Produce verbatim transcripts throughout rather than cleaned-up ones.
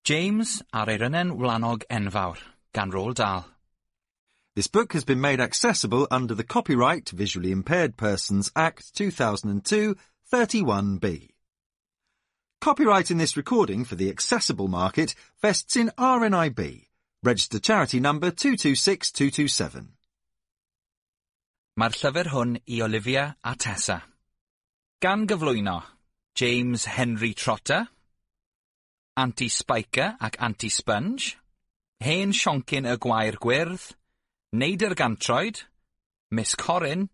James a'r Eirynen Wlanog Enfawr, gan Roald Dahl. This book has been made accessible under the Copyright Visually Impaired Persons Act two thousand two, thirty-one B. Copyright in this recording for the accessible market vests in R N I B, Register Charity Number two two six two two seven. Mae'r llyfr hwn i Olivia a Tessa. Gan gyflwyno James Henry Trotter, Anti-Spiker ac Anti-Sponge, Hen Sioncyn y Gwair Gwyrdd, Neidr Gantroed, Miss Corrin,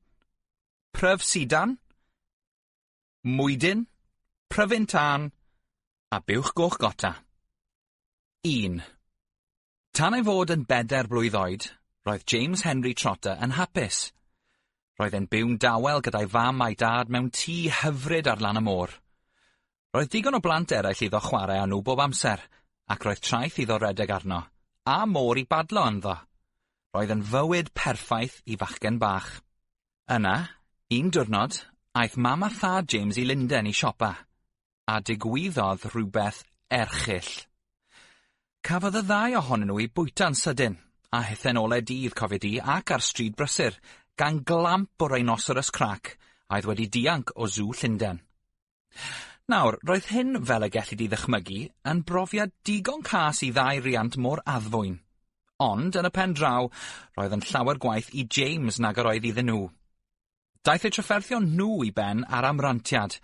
Pryf Sidan, Mwydyn, Pryfyn Tân a Buwch Goch Gota. un. Tan ei fod yn bedair blwydd oed, roedd James Henry Trotter yn hapus. Roedd e'n byw'n dawel gyda'i fam a'i dad mewn tŷ hyfryd ar lan y môr. Roedd digon o blant eraill iddo chwarae â nhw bob amser, ac roedd traeth iddo redeg arno, a môr i badlo ynddo. Roedd yn fywyd perffaith i fachgen bach. Yna, un diwrnod, aeth mam a thad James i Lundain i siopa, a digwyddodd rhywbeth erchyll. Cafodd y ddau ohonyn nhw eu bwyta'n sydyn, a hithe'n olau dydd, cofia di, ac ar stryd brysur, gan glamp o rhinoceros crac a oedd wedi dianc o sŵ Llundain. Nawr, roedd hyn, fel y gelli di ddychmygu, yn brofiad digon cas i ddau riant mor addfwyn. Ond, yn y pen draw, roedd yn llawer gwaeth i James nag yr oedd iddyn nhw. Daeth eu trafferthion nhw i ben ar amrantiad.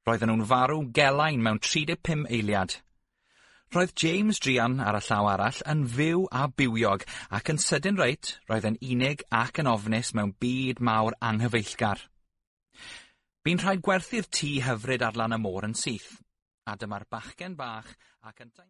Roedden nhw'n farw gelain mewn tri deg pum eiliad. Roedd James druan ar y llaw arall yn fyw a bywiog, ac yn sydyn reit, roedd yn unig ac yn ofnus mewn byd mawr anghyfeillgar. Bu'n rhaid gwerthu'r tŷ hyfryd ar lan y môr yn syth, a dyma'r bachgen bach ac yntau...